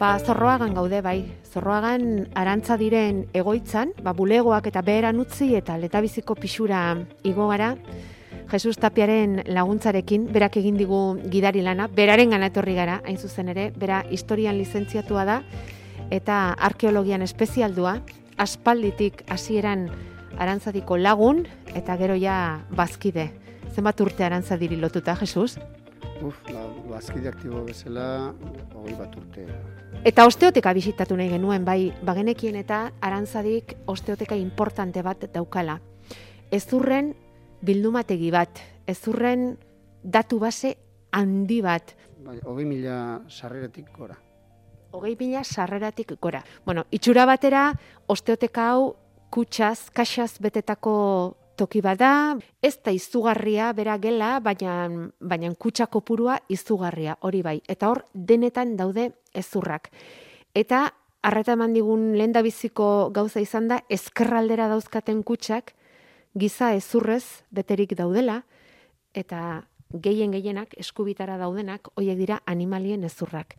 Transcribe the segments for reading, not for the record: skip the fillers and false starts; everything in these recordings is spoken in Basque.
Zorroagan gaude bai. Zorroagan arantza diren egoitzan, bulegoak eta beheran utzi eta letabiziko pixura igo gara. Jesus Tapiaren laguntzarekin, berak egin digu gidari lana, beraren gana etorri gara, hain zuzen ere, bera historian lizentziatua da, eta arkeologian espezialdua, aspalditik hasieran arantzadiko lagun, eta gero ja bazkide. Zenbat urte arantzadiri lotuta, Jesus? Bazkide aktibo bezala, 20 urte. Eta osteoteka bisitatu nahi genuen, bai, bagenekien eta arantzadik osteoteka importante bat daukala. Ezurren bildumategi bat, ezurren datu base handi bat. 20.000 sarreratik gora. 20.000 sarreratik gora. Bueno, itxura batera, osteoteka hau kutsaz, kaxaz betetako toki bada, ez da izugarria bera gela, baina kutsa kopurua izugarria, hori bai. Eta hor, denetan daude ezurrak. Eta, arreta eman digun lehendabiziko gauza izan da, ezkerraldera dauzkaten kutsak, giza ezurrez beterik daudela, eta gehienak, eskubitara daudenak, horiek dira animalien ezurrak.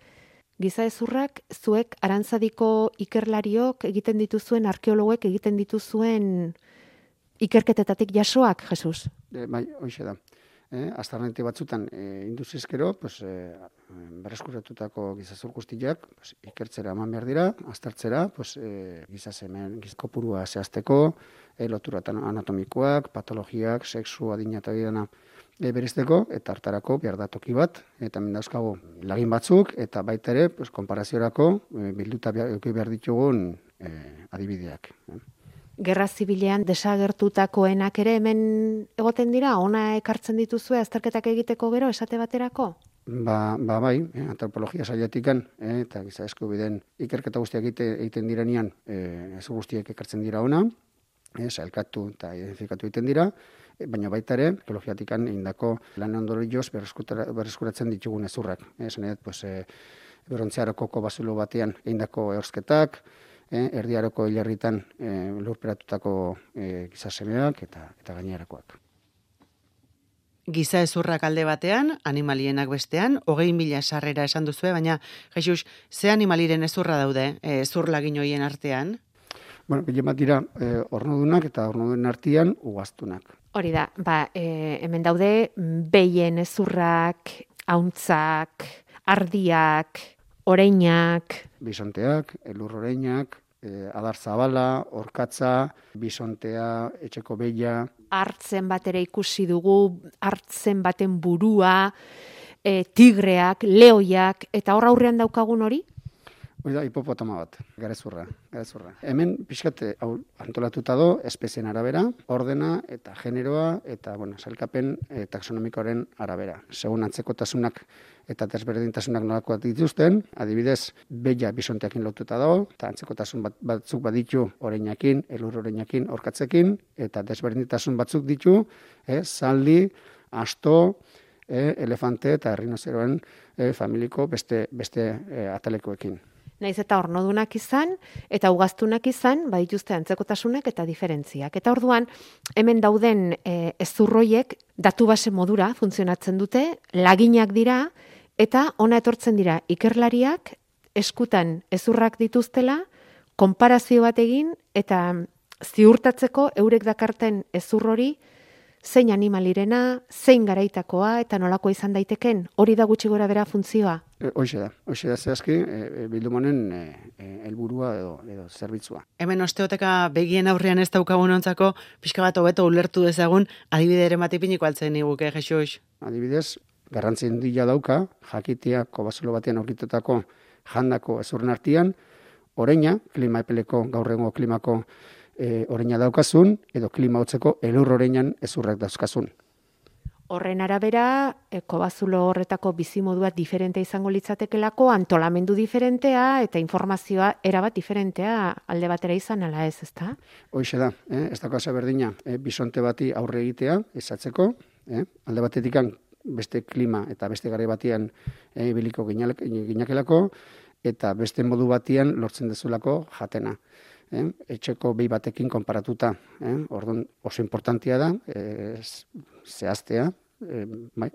Giza ezurrak, zuek arantzadiko ikerlariok egiten dituzuen, arkeologoek egiten dituzuen ikerketetatik jasoak, Jesus? Bai, hoxe da. Aztarnate batzutan induzizkero, berreskuratutako gizazur guztiak ikertzera eman behar dira, aztertzera, gizasemen kopurua zehazteko, lotura anatomikoak, patologiak, sexu, adina eta didana berezteko, eta hartarako behar da toki bat, eta mendauzkago lagin batzuk, eta baita ere, konparaziorako bilduta behar ditugun adibideak. Gerra zibilean desagertutakoenak ere hemen egoten dira, ona ekartzen dituzue azterketak egiteko gero esate baterako? Bai, antropologia sailatikan, eta giza eskubideen ikerketa guztiak egiten direnean, ez guztiek ekartzen dira ona, sailkatu eta identifikatu egiten dira, baina baita ere, arkeologiatikan egindako lan ondorioz berreskuratzen ditugun ezurrak. Esan edat, Berontziaroko kobazulo batean egindako ehorsketak, Erdiaroko hilarritan lurperatutako gizasemeak eta gainerakoak. Giza ezurrak alde batean, animalienak bestean, 20.000 sarrera esan duzue, baina, Jesus, ze animaliren ezurra daude, ezur lagin hoien artean? Bueno, gehien bat dira ornodunak eta ornoduen artean ugaztunak. Hori da, hemen daude behien ezurrak, hauntzak, ardiak, oreinak, bisonteak, elur oreinak, adar zabala, orkatza, bisontea, etxeko behia. Hartzen bat ere ikusi dugu, hartzen baten burua, tigreak, leoiak, eta hor aurrean daukagun hori? Hori da, hipopotama bat, garezurra. Hemen pixkat antolatuta do, espezien arabera, ordena eta generoa, eta sailkapen taxonomikoaren arabera. Segun antzekotasunak eta desberdintasunak nolakoak dituzten, adibidez, behia bisonteakin lotuta dago, eta antzekotasun batzuk baditu oreinakin, elur oreinakin, orkatzekin, eta desberdintasun batzuk ditu, zaldi, asto, elefante eta errinozeroen familiko beste atalekoekin. Naiz eta ornodunak izan, eta ugaztunak izan, badituzte antzekotasunak eta diferentziak. Eta orduan, hemen dauden ezurroiek datu base modura funtzionatzen dute, laginak dira, eta ona etortzen dira ikerlariak, eskutan ezurrak dituztela, konparazio bat egin, eta ziurtatzeko eurek dakarten ezur hori, zein animalirena, zein garaitakoa, eta nolako izan daiteken, hori da gutxi gora bera funtzioa? Hoxe da zehazki, bildumonen helburua edo zerbitzua. Hemen osteoteka begien aurrean ez daukagun ontzako, pixka bat hobeto ulertu dezagun, adibide ere matipiniko altzen niguke, Jesus? Adibidez, garrantzi handia dauka, jakitea kobazulo batean aurkitutako jandako ezurren artean, oreina, klima epeleko, gaur egungo klimako oreina daukazun, edo klima hotzeko elur oreinan ezurrak dauzkazun. Horren arabera, kobazulo horretako bizimodua diferente izango litzatekelako, antolamendu diferentea eta informazioa erabat diferentea alde batera izan ala ez, ezta? Hoxe da, ez daukaz berdina, bisonte bati aurre egitea, ezatzeko, alde batetikan beste klima eta beste garai batean biliko ginakelako, eta beste modu batean lortzen dezulako jatena. Etxeko behi batekin konparatuta. Orduan oso importantia da, zehaztea,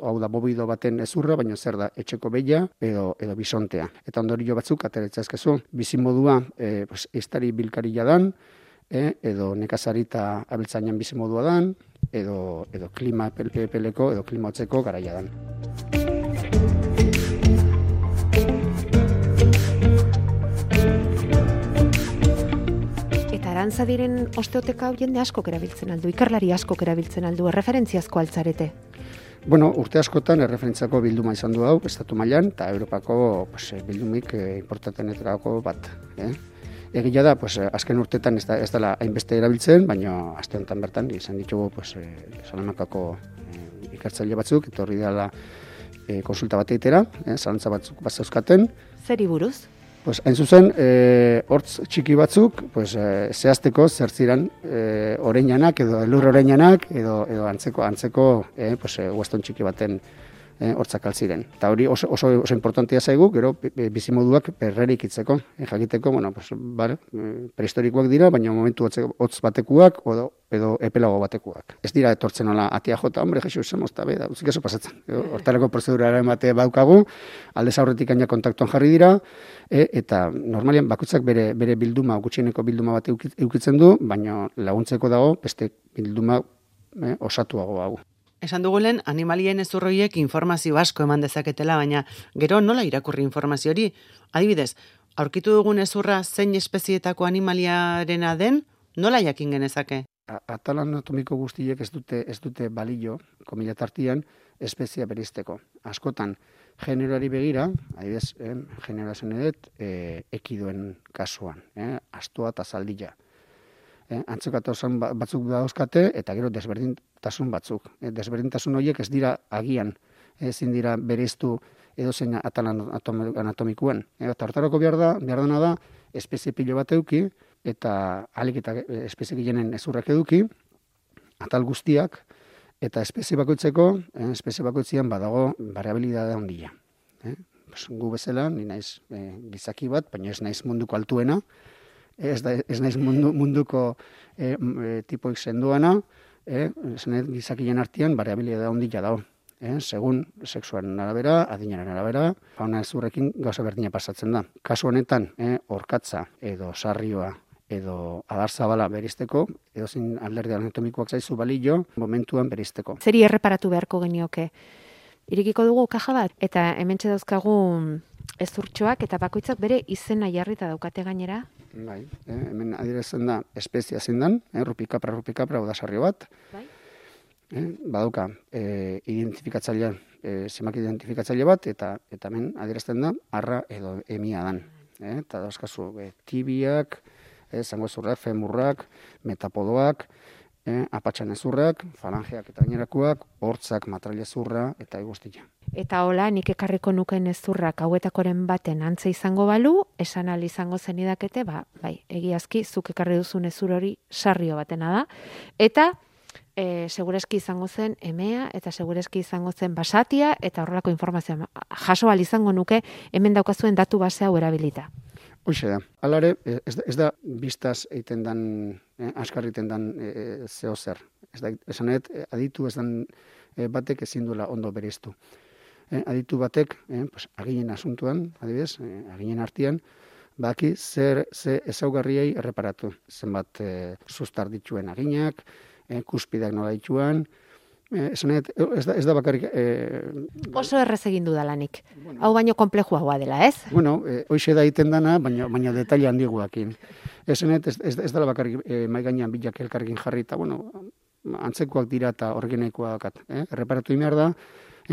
hau da bobido baten ezurra, baina zer da etxeko behia edo bisontea. Eta ondorio batzuk ateretza ezkezu, bizimodua ehiztari bilkarila dan, edo nekazarita abiltzainan bizimodua dan, edo klima epeleko edo klima hotzeko garaia dan. Arantza diren osteoteka hau jende askok erabiltzen aldu, ikerlari askok erabiltzen aldu, erreferentziazko altzarete? Bueno, urte askotan erreferentziako bilduma izan du hau, estatu mailan, eta Europako bildumik importantenetako bat. Egia da, azken urtetan ez dela hainbeste erabiltzen, baina aste honetan bertan izan ditugu Salamakako ikertzaile batzuk, etorri dela konsulta bat eitera, zalantza batzuk bat zeuzkaten. Zeri buruz? Hain zuzen, hortz txiki batzuk, zehazteko zertziran oreinanak edo elur oreinanak edo antzeko weston txiki baten hortzak altziren. Eta hori oso importantia zaigu, gero bizimoduak berrerik itzeko. Jakiteko, prehistorikoak dira, baina momentu hotz batekuak edo epelago batekuak. Ez dira etortzen nola atia jota, hombre, Jesus, zemozta, da, uzik eso pasatzen. Hortareko prozedurara emate baukagu, aldez aurretik aina kontaktuan jarri dira, eta normalian bakoitzak bere bilduma, gutxieneko bilduma bat eukitzen du, baina laguntzeko dago beste bilduma osatuago hau. Esan dugulen, animalien ezurroiek informazio asko eman dezaketela, baina gero nola irakurri informazio hori? Adibidez, aurkitu dugun ezurra zein espezietako animaliarena den, nola jakin genezake? Atal anatomiko guztiek ez dute balio, komila tartian, espezia beristeko. Askotan, generoari begira, adibidez, generoa zenedet, ekidoen kasuan, astoa eta zaldila. Antzekatasun batzuk dauzkate, eta gero desberdintasun batzuk. Desberdintasun horiek ez dira agian, ezin dira bereiztu edozein atal anatomikoen. Eta hortarako behar dena da, espezie pilo bat eduki, eta alik eta espezie gehienen ezurrak eduki, atal guztiak, eta espezie bakoitzean badago variabilidadea handia. Gu bezala, ni naiz gizaki bat, baina ez naiz munduko altuena, ez naiz munduko tipoik senduana, gizakien artean variabilidadea handia dago. Segun sexuaren arabera, adinaren arabera, fauna ezurrekin gauza berdina pasatzen da. Kasu honetan, orkatza edo sarrioa edo adarzabala beristeko, edo zin alderdi anatomikoak zaizu balio, momentuan beristeko. Zeri erreparatu beharko genioke? Irikiko dugu kaja bat, eta hementxe dauzkagu ezurtxoak, eta bakoitzak bere izena jarrita daukate gainera? Bai, hemen adierazten da espezia zindan, rupikapra, odasarrio bat. Bai. Badauka, identifikatzailea, zemak identifikatzaile bat, eta hemen adierazten da, arra edo emia dan. Eta dauzkazu, tibiak, zango ezurrak, femurrak, metapodoak, apatxan ezurrak, falangeak eta gainerakoak, hortzak, matraila ezurra eta eguztia. Eta hola, nik ekarriko nuken ezurrak hauetakoren baten antza izango balu, esan ahal izango zenidakete, bai, egiazki, zuk ekarri duzun ezur hori sarrio batena da, eta segureski izango zen emea, eta segureski izango zen basatia, eta horrelako informazioa jaso ahal izango nuke, hemen daukazuen datu base hau erabilita. Hoxe da. Alare, ez da biztaz egiten dan, askar egiten dan zeo zer. Esanet, aditu ez dan batek ezin duela ondo bereiztu. Aditu batek, aginen asuntuan, adibidez, aginen artean, baki ze ezaugarriei erreparatu. Zenbat sustar dituen aginak, kuspidak nola dituan, esanet, ez da bakarrik... Oso errez egin dudalanik. Bueno, hau baino konplexuagoa dela, ez? Bueno, hoxe da egiten dana, baina detaile handiguakin. Esanet, ez dela bakarrik maigainan bilak elkarrekin jarri, eta, bueno, antzekoak dira eta orgenekoak. Erreparatu behar da,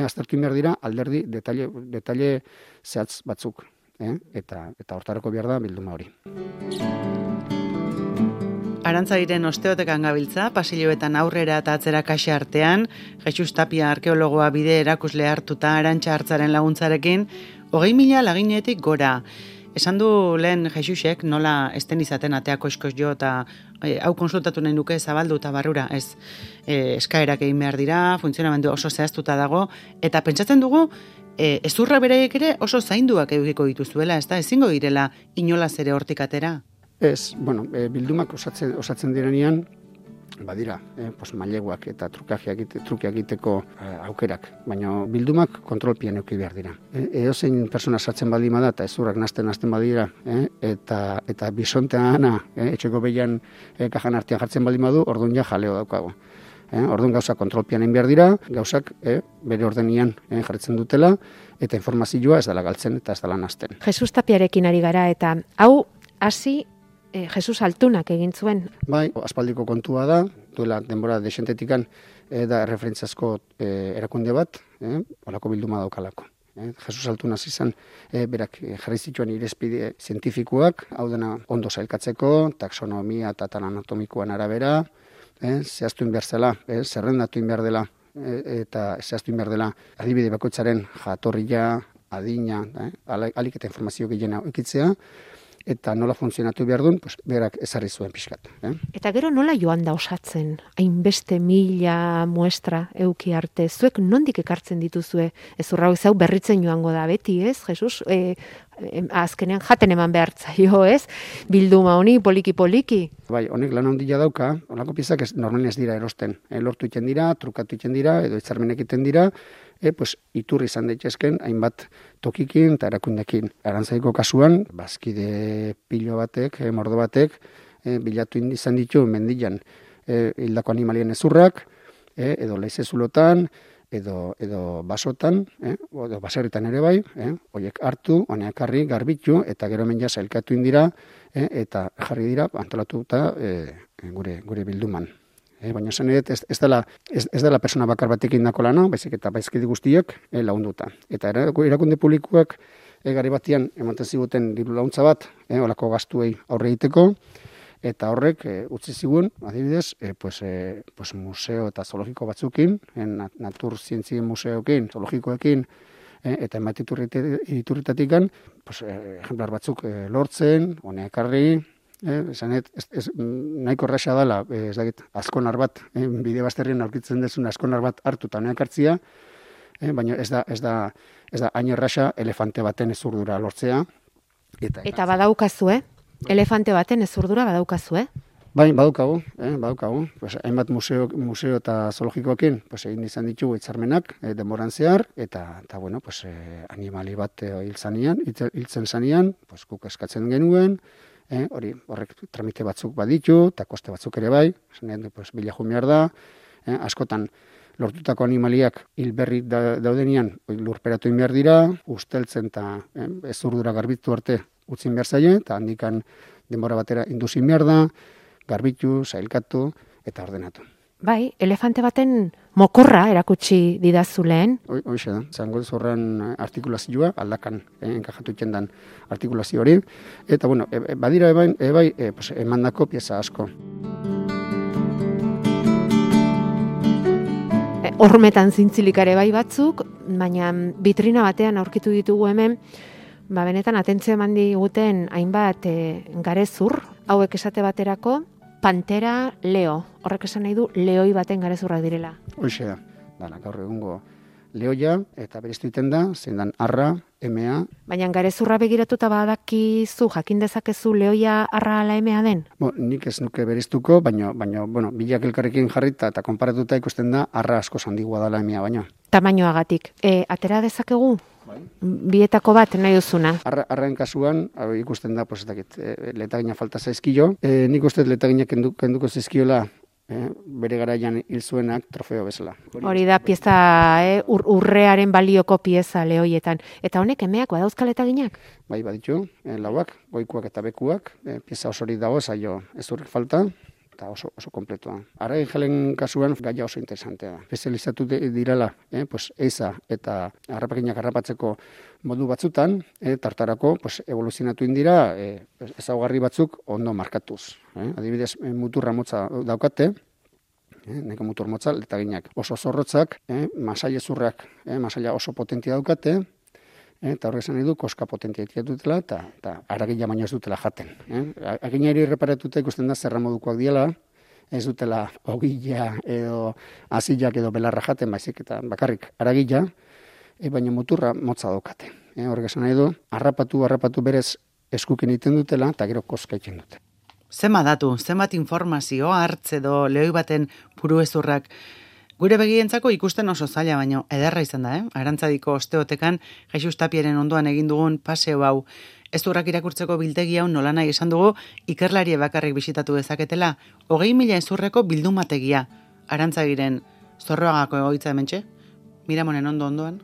aztertu behar dira, alderdi detaile zehatz batzuk. Eta hortarako behar da bilduma hori. Arantzadiren osteotekan gabiltza, pasilloetan aurrera eta atzera kaxa artean, Jesus Tapia arkeologoa bide erakusle hartuta Arantxa Hartzaren laguntzarekin, 20.000 laginetik gora. Esan du lehen Jesusek nola esten izaten ateako eskoz jo eta hau konsultatu nahi nuke zabaldu eta barrura, ez eskaerak egin behar dira, funtzionamendu oso zehaztuta dago, eta pentsatzen dugu, ezurra bereiek ere oso zainduak edukiko dituzuela, ez da, ezingo direla inolaz ere hortik atera? Ez, bueno, bildumak osatzen direnean, badira, maileguak eta trukeak egiteko aukerak, baina bildumak kontrolpian eduki behar dira. Edozein persona sartzen baldin bada eta ezurrak nasten badira, eta bisonteana etxeko behian kajan artean jartzen baldin badu, orduan ja jaleo daukago. Orduan gauzak kontrolpian egin behar dira, gauzak bere ordenian jartzen dutela, eta informazioa ez dela galtzen eta ez dela nasten. Jesus Tapiarekin ari gara, eta hau hasi Jesus Altunak egin zuen. Bai, aspaldiko kontua da, duela denbora desentetikan da referentziazko erakunde bat, olako bilduma daukalako. Jesus Altuna izan berak jarri zituen irizpide zientifikoak, hau dena ondo sailkatzeko, taxonomia eta anatomikoan arabera, zehaztu behar zela, zerrendatu behar dela, eta zehaztu behar dela adibide bakoitzaren jatorria, adina, alik eta informazio gehiena ekitzea, eta nola funtzionatu behar duen, berak ezarri zuen pixkat. Eta gero nola joan da osatzen, hainbeste 1000 muestra euki arte, zuek nondik ekartzen dituzue, ezurra hau berritzen joango da beti, ez, Jesus? Azkenean jaten eman behartzaio, ez? Bilduma honi, poliki. Bai, honek lan handia dauka, honako piezak normalen ez dira erosten. Lortu iten dira, trukatu iten dira, edo hitzarmenek iten dira, iturri izan daitezken hainbat tokikin eta erakundekin. Arantzaiko kasuan, bazkide pilo batek, mordo batek, bilatu izan ditu mendian hildako animalien ezurrak, edo leizezulotan, edo basotan, edo baserritan ere bai, horiek hartu, honeak harri, garbitu, eta gero hemen ja sailkatu indira, eta jarri dira antolatuta gure bilduman. Baina esan ez dela persona bakar batekin dako lana, baizik eta baizkide guztiak lagunduta. Eta erakunde publikoak gari batian ematen ziguten diru laguntza bat, olako gastuei aurre egiteko, eta horrek utzi zigun, adibidez, museo eta zoologiko batzukin, natur zientzien museokin, zoologikoekin, eta emat iturritatikan, ejemplar batzuk lortzen, honeak harri, nahiko erraxa dela, azkonar bat, bide bazterrien aurkitzen dezun azkonar bat hartu eta honeak hartzia, baina ez da hain erraxa elefante baten ezurdura lortzea. Eta badaukazu, elefante baten ezurdura badaukazu, Bai, badaukagu. Hainbat museo eta zoologikoekin egin izan ditugu hitzarmenak denboran zehar, eta animali bat hiltzen zanean, guk eskatzen genuen, horrek tramite batzuk baditu, eta koste batzuk ere bai, bila jumear da, askotan lortutako animaliak hilberri daudenean lurperatu behar dira, usteltzen eta ezurdura garbitu arte utzin behar zaie, eta handikan denbora batera induzin behar da, garbitu, sailkatu eta ordenatu. Bai, elefante baten mokorra erakutsi didazu lehen. Hoxe da, zango zorran artikulazioa, aldakan enkajatu itxendan artikulazio hori. Eta, badira emandako pieza asko. Hormetan zintzilikare bai batzuk, baina vitrina batean aurkitu ditugu hemen, benetan atentzio eman diguten hainbat garezur, hauek esate baterako, Pantera leo. Horrek esan nahi du leoi baten garezurrak direla. Hoxe da. Gaur egungo leoia eta bereiztu egiten da, zein dan arra, emea. Baina garezurra begiratuta badakizu, jakin dezakezu leoia arra ala emea den? Nik ez nuke bereiztuko, baina bilak elkarrekin jarrita eta konparatuta ikusten da arra asko handigua dela emea baina. Tamainoagatik. Atera dezakegu? Bietako bat nahi duzuna. Arraen kasuan, ikusten da, letagina falta zaizkio. Nik uste letagina kenduko zaizkiola bere garaian hil zuenak trofeo bezala. Hori da pieza, urrearen balioko pieza lehoietan. Eta honek emeak badauzka letaginak? Bai, baditu, lauak, goikuak eta bekuak, pieza osorik dago, zailo ez urrik falta, eta oso kompletua. Arrain jalen kasuan gaia oso interesantea da. Espezializatu direla, eiza eta harrapakinak harrapatzeko modu batzutan, tartarako evoluzionatu indira ezaugarri batzuk ondo markatuz. Adibidez, muturra motza daukate, neko mutur motza, letaginak oso zorrotzak, masailezurrak, masaila oso potentia daukate, eta horrek esan nahi du, koska potentia dutela, eta aragila baino ez dutela jaten. Aginari reparatuta ikusten da zerra modukoak diela, ez dutela ogila edo azilak edo belarra jaten, baizik eta bakarrik aragila, baina muturra motza daukate. Horrek esan nahi du, harrapatu berez eskuken egiten dutela, eta gero koska egiten dute. Zenbat datu, zenbat informazio hartze edo lehoi baten buruezurrak. Gure begientzako ikusten oso zaila, baino ederra izan da, Arantzadiko osteotekan Jesus Tapiaren ondoan egin dugun paseo hau. Ezurrak irakurtzeko biltegi hau nolanahi esan dugu ikerlarie bakarrik bisitatu dezaketela 20.000 ezurreko bildumategia. Arantzagiren Zorroagako egoitza hementxe, Miramonen ondoan.